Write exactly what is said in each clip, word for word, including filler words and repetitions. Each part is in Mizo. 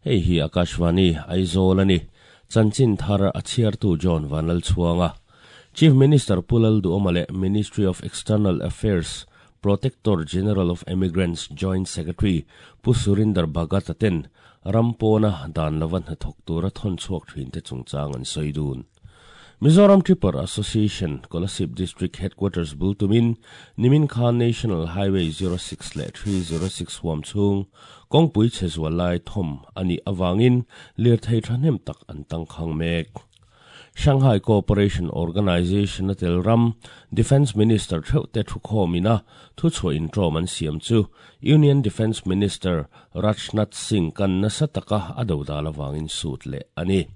Hei hi Akashvani Aizawl ani chanchin thar a chhiartu John Vanlal Chhuanga Chief Minister Pu Lalduhoma leh Ministry of External Affairs Protector General of Emigrants Joint Secretary Pu Surinder Bhagat ten rampona dan lawan hnathawk tura thawn chhuak thin te chungchang an sawi dun. Mizoram Tripper Association Kolasib District Headquarters bultumin nimin khan National Highway zero six leh three zero six huam chhung kawngpui chhe zual lai thawm ani awangin lirthei thahnem tak an tangkhang mek. Shanghai Cooperation Organization a tel ram Defense Minister theuh te thu khawmina thu chhuah in tawm an siam chu Union Defense Minister Rajnath Singh kan nasa taka a do dal awangin sut leh ani.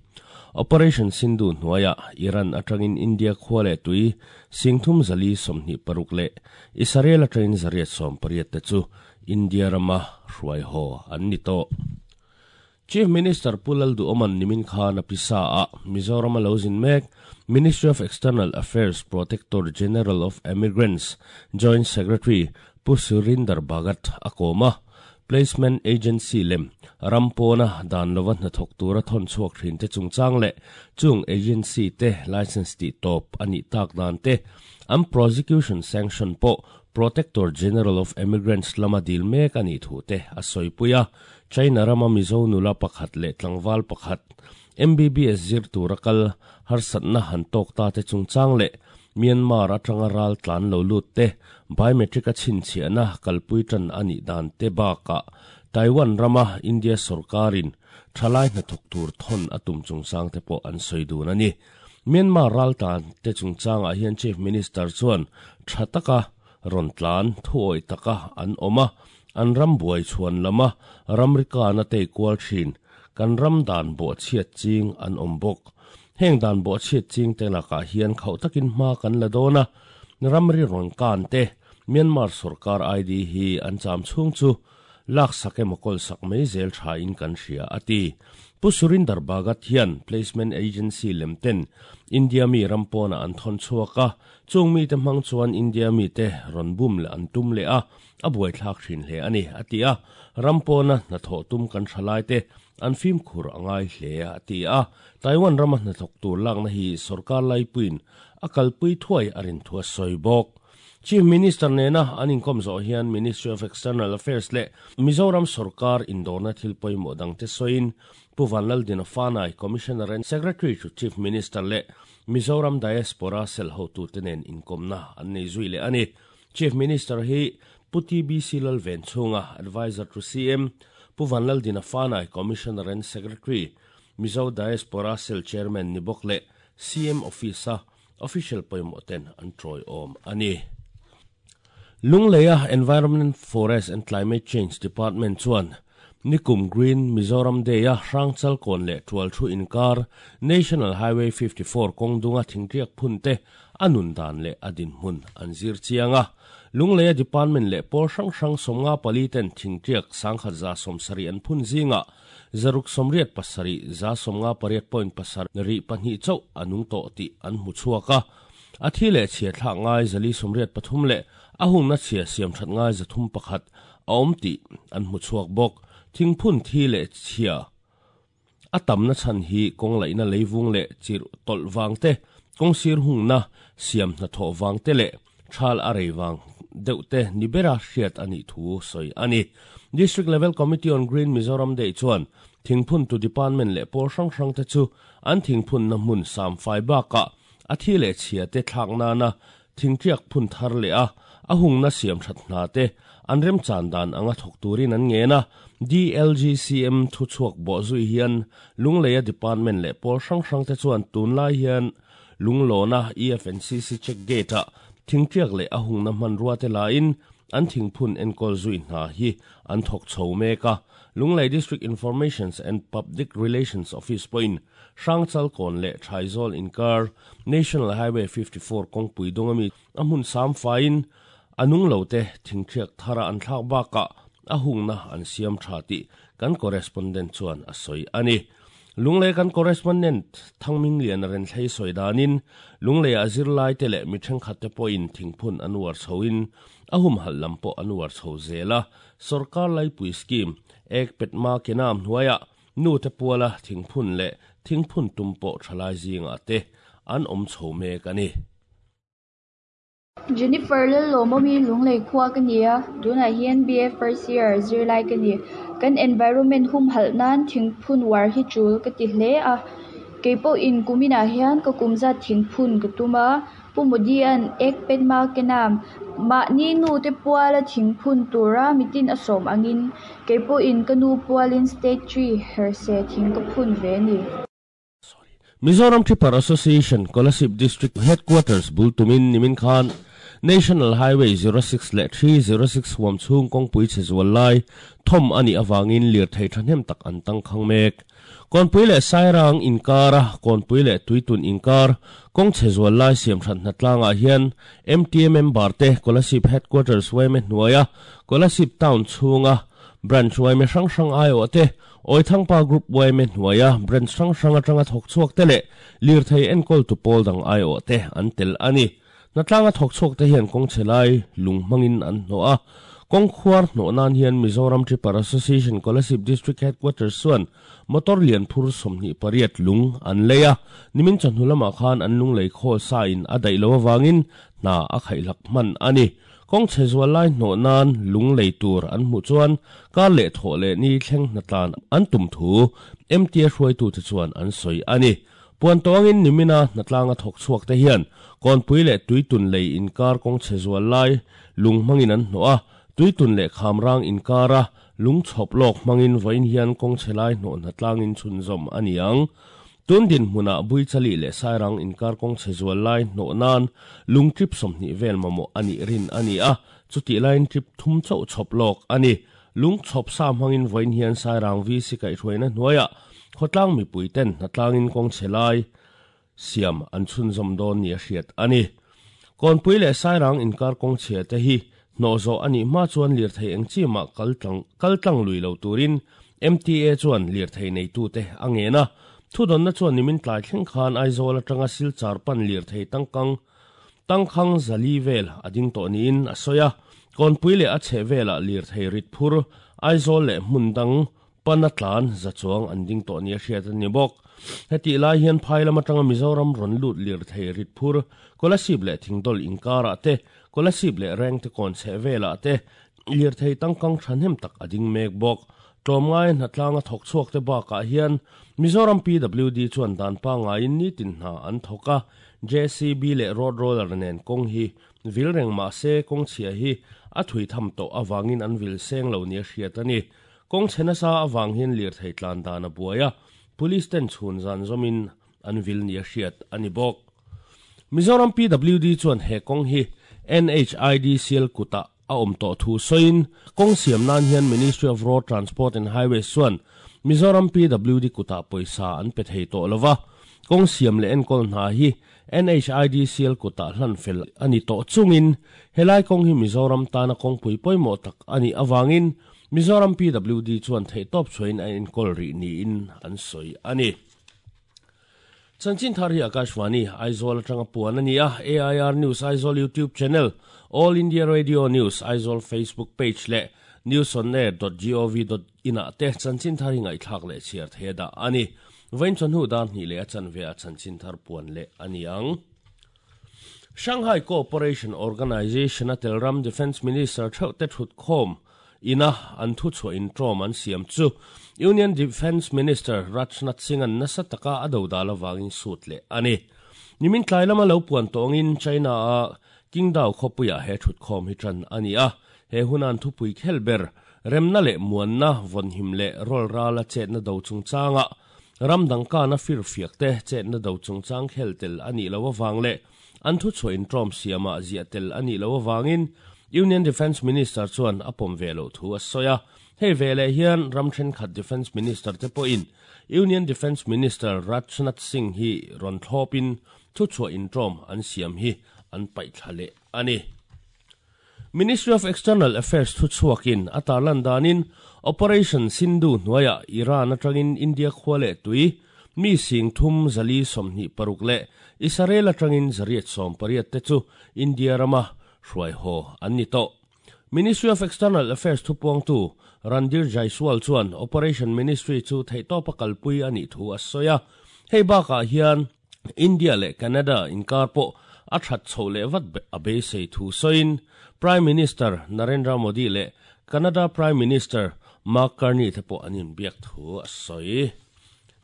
Operation Sindhu hnuaia Iran atangin India khua leh tui singthum zali sawmhnih paruk leh Israel atangin zariat sawm pariat te chu India rama hruai haw an ni tawh. Chief Minister Pu Lalduhoman nimin khan a pisa a Mizoram a lo zin mek Ministry of External Affairs Protector General of Emigrants Joint Secretary Pu Surinder Bhagat a kawma Placement Agency lem rampona dan lova hnathawk tura thawn chhuak thin te chungchang leh chung agency te license ti tawp ani tak dan te an prosecution sanction pawh Protector General of Emigrants lama dil mek ani thu te a sawipuia China rama Mizo nula pakhat leh tlangval pakhat M B B S zir tura kal harsatna han tawk ta te chungchang leh Myanmar atanga ral tlan lo lut te biometric a chhinchhiahna kalpui tan ani dan te bakah Taiwan rama India sarkarin thalai hnathawk tur thawn a tum chungchang te pawh an sawi dun ani. Myanmar ral tan te chungchangah hian Chief Minister chuan tha taka ron tlan thuawi taka an awma an ram buai chhuan lama ramrika na te kual thin kan ram dan bo chhiat ching an awm bawk. Heng dan bo chhiat ching te lakah hian khauh takin hma kan la dawna ramri rawn kan te Myanmar sarkar I D hi an cham chhung chu lak sak emaw kawl sak mai zel tha in kan hria ati. Pu Surinder Bhagat hian Placement Agency lemten India mi rampona an thawn chhuaka chung mi te hmang chuan India mi te rawn bum leh an tum leh a a buai thlak thin hle ani ati a rampona hnathawh tum kan thalai te an fim khur angai hle ati a Taiwan rama hnathawk tur lakna hi sarkar laipuin a kalpui thuai a rin thua sawi bawk. Chief Minister nena an inkom zo hian Ministry of External Affairs le Mizoram Sarkar indorna thil pawimawh dang te sawiin Pu Vanlaldina Fanai Commissioner and Secretary to Chief Minister le Mizoram Diaspora Cell hotu te nen inkomna an nei zui leh ani. Chief Minister hi Pu T B C Lalven chhunga Advisor to C M Pu Vanlaldina Fanai Commissioner and Secretary Mizo Diaspora Cell Chairman ni bawk leh C M Office official pawimawh ten an tawi awm ani. Lungleia Environment, Forest and Climate Change Department chuan Nikum Green Mizoram Day a Hrangchal kawn leh tual thu inkar National Highway fifty-four kawngdunga thingriak phun te anun dan leh a dinhmun an zir chianga Lungleia Department leh pawl hrang hrang sawmnga pali ten thingriak sangkhat za sawmsarih an phun zinga zaruk sawmriat pasarih za sawmnga pariat point pasarih pahnih chauh anung tawh tih an hmu chhuaka a thi leh chhia thlak ngai zali sawmriat pathum leh a hungna chhia siam that ngai zathum pakhat a awm tih an hmu chhuak bawk. Thingphun thi leh chhia a tamna chhan hi kawng laihna leivung leh chirh tawlh vang te kawng sir hungna siam hnathawh vang te leh thal a rei vang deuh te ni bera hriat ani thu sawi ani. District Level Committee on Green Mizoram Day chuan thingphun tu department leh pawl hrang hrang te chu an thingphun na hmun sam fai bakah a thi leh chhia te thlak nana thingriak phun thar leh a a hungna siam that hna te an rem chan dan anga thawk turin an ngena D L G C M thu chhuak bawh zui hian Lungleia department leh pawl hrang hrang te chuan tunlai hian Lunglawna E F N C C check gate a thingriak leh a hungna hmanrua te lain an thingphun enkawl zui hna hi an thawk chho mek a. Lunglei District Information and Public Relations Office pawhin Hrangchal kawn leh Thaizawlh inkar National Highway fifty-four kawngpui dawngami a hmun sam faiin anung lo te thingriak thara an thlak bakah a hungna an siam tha tih kan correspondent chuan a sawi ani. Lunglei kan correspondent Thangming Lian ren thlei soi danin lunglei a zirlai te leh mi thenkhat te pawhin thingphun an uar chhoin a hum hal lam pawh an uar chho zela sarkar laipui scheme ek petma kenam hnuaia nu te puala thingphun leh thingphun tum pawh thalai zinga te an awm chho mek ani. Jennifer Lalawmawmi lunglei khua ka nia tunah hian B A first year zirlai ka ni kan environment hum halh nan thingphun war hi tul ka ti hle a keipawh in kuminah hian ka kumzat thingphun ka tuma Pu Modi an ek petma kenam mahni nu te puala thingphun tura mitin a sawm angin keipawh in ka nu pualin state tree herse thing ka phun ve ni. Mizoram Tipper Association Kolasib District Headquarters Bultumin Nimin Khan National Highway zero six le three zero six huam chung kong pui che zual lai thom ani awangin lir thei thahnem tak an tang khang mek konpui le Sairang inkara konpui le Tuitun inkar kong che zual lai siam than hnatlanga hian M T M member te Kolasib Headquarters weme hnuaia Kolasib Town chunga branch weme hrang hrang ai o te oi thangpa group weme hnuaia branch hrang hrang atanga thok chuak te le lir thei enkol tu pawl dang ai o te an tel ani natlanga thok chuak te hian kong chelai lung mangin an hnoa kong khuar hno nan hian Mizoram Tipper Association Kolasib District Headquarters chuan motor lian phur sawmhnih pariat lung an leia nimin chawhnu lamah khan an lung lei khawl sa in a daih lo awangin hna a khaihlak hman ani kong che zual lai hno nan lung lei tur an hmuh chuan kar leh thawh leh ni thleng hnatlan an tum thu M T A hruaitu te chuan an sawi ani puan tawngin nimina hnatlanga thawk chhuak te hian konpui leh Tuitun lei inkar kong che zual lai lung hmangin an hnoa Tuitun leh Khamrang inkara lung chhawp lawk hmangin vawiin hian kong che lai hnoh hnatlangin chhunzawm ani ang tundin hmuna Buichali leh Sairang inkar kong che zual lai hnoh nan lung trip sawmhnih vel mamawh ani rin ani a chuti lain trip thum chauh chhawp lawk ani lung chhawp sa hmangin vawiin hian Sairang V C kaihhruaina hnuaia khawtlang mipui ten hnatlangin kong che lai siam an chhunzawm dawn ni a hriat ani konpui leh Sairang inkar kong che te hi hnoh zawh ani hma chuan lir thei eng chi mah kaltlang kaltlang lui lo turin M T A chuan lir thei nei tu te a ngena thudonna chuan nimin tlai thleng khan Aizawl atanga Silchar pan lir thei tangkang tangkhang zali vel ading tawh niin a sawi a konpui leh a chhe vela lir thei rit phur Aizawl leh hmun dang pana tlan za chuang an ding tawh ni a hriat ani bawk heti lai hian phai lam atanga Mizoram rawn lut lir thei rit phur Kolasib leh Thingdol inkara te Kolasib leh reng te kawn chhe vela te lir thei tangkang thahnem tak ading mek bawk tlawmngai hnatlanga thawk chhuak te bakah hian Mizoram P W D chuan dan pangaiin ni tin hna an thawk a J C B leh road roller nen kawng hi vil reng mah se kawng chhia hi a thui tham tawh awangin an vil seng lo ni a hriat ani kawng chhe nasa awang hian lir thei tlan dan a buaia police ten chhun zan zawmin an vil ni a hriat ani bawk Mizoram P W D chuan he kawng hi N H I D C L kuta a awm tawh thu sawiin kawng siam nan hian Ministry of Road Transport and Highways chuan Mizoram P W D kuta pawisa an pe thei tawh lova kawng siam leh enkawl hna hi N H I D C L kuta hlan fel ani tawh chungin helai kawng hi Mizoram tana kawngpui pawimawh tak ani awangin Mizoram P W D chuan thei tawp chhuain a enkawl rih niin an sawi ani. Chanchin thar hi Akashvani Aizawl atanga puan ani a A I R News Aizawl YouTube channel All India Radio News Aizawl Facebook page le newsonair dot gov dot in a te chanchin thar hi ngaihthlak leh chhiar the da ani vain chawhnu dar hnih leh a chanve a chanchin thar puan leh ani ang. Shanghai Cooperation Organization a telram Defense Minister theuh te thut khawm ina an thu chhuah in tawm an siam chu Union Defense Minister Rajnath Singh an nasa taka a do dal awangin sut leh ani nimin tlai lama lo puan tawngin China a Qingdao khawpuia he thut khawm hi tan ani a he hunan thupui khelber remna leh muanna vawnhim leh rol rala chetna do chungchanga ramdang kana fir fiak te chetna do chungchang khel tel ani lo awang leh an thu chhuah in tawm siama zia tel ani lo awangin Union Defense Minister chuan a pawm ve lo thu a sawi a hei ve leh hian ram thenkhat Defense Minister te pawhin Union Defense Minister Rajnath Singh hi rawn thlawpin thu chhuah in tawm an siam hi an paih thla leh ani. Ministry of External Affairs thu chhuakin a tarlan danin Operation Sindhu hnuaia Iran atangin India khua leh tui Mi sing thum zali somni paruk le Israel atangin zariat som pariat te chu India rama hruai ho an ni to. Ministry of External Affairs thupuang tu Randir Jaiswal chuan Operation Ministry chu theitopa kalpui ani thu a soya. Hei baka hian India le Canada inkar po a that chho le vat a be sei thu soin Prime Minister Narendra Modi le Canada Prime Minister Mark Carney te po anin biak thu a soi.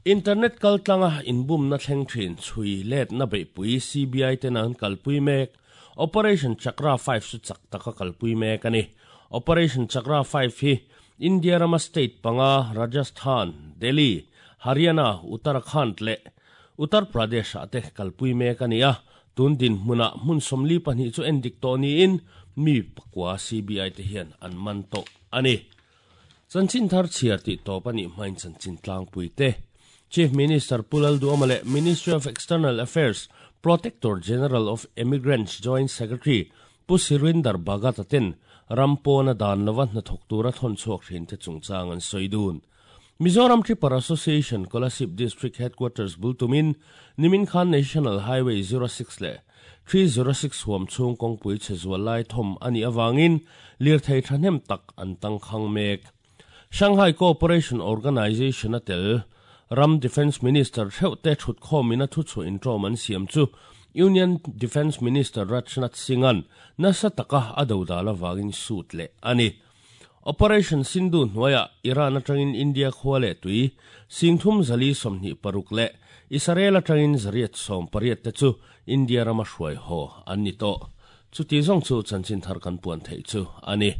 Internet kaltlanga inbum na thleng thin chui let na be pui C B I te nan kalpui mek Operation Chakra five su chak taka kalpui mek ani. Operation Chakra five hi India rama state panga Rajasthan, Delhi, Haryana, Uttarakhand le Uttar Pradesh ate kalpui mek ani a. Tun din hmuna hmun sawmli pahnih chu endik tawh niin mi pakua C B I te hian an man tawh ani. Chanchin thar chhiar tih tawp ani hmain chanchin tlangpui te. Chief Minister Pu Lalduhoma le Ministry of External Affairs Protector General of Emigrants Joint Secretary Pu Surinder Bhagat aten rampona dan lova hna thawk tura thawn chhuak thin te chungchang an sawi dun. Mizoram Tripura Association Kolasib District Headquarters Bultumin Nimin Khan National Highway zero six le three zero six huam chung kongpui chezual lai thom ani awangin lir thei thahnem tak an tangkhang mek. Shanghai Cooperation Organization atel Ram Defense Minister Theu Te Thut Khom ina thu chu intro man siam chu Union Defense Minister Rajnath Singhan nasa taka adodala wangin suit le ani. Operation Sindhu hnuaia Iran atangin India khwale tui singthum zali somni paruk le Israel atangin zariat som pariat te chu India rama hruai ho ani to. Chu ti zong chu chanchin thar kan puan thei chu ani.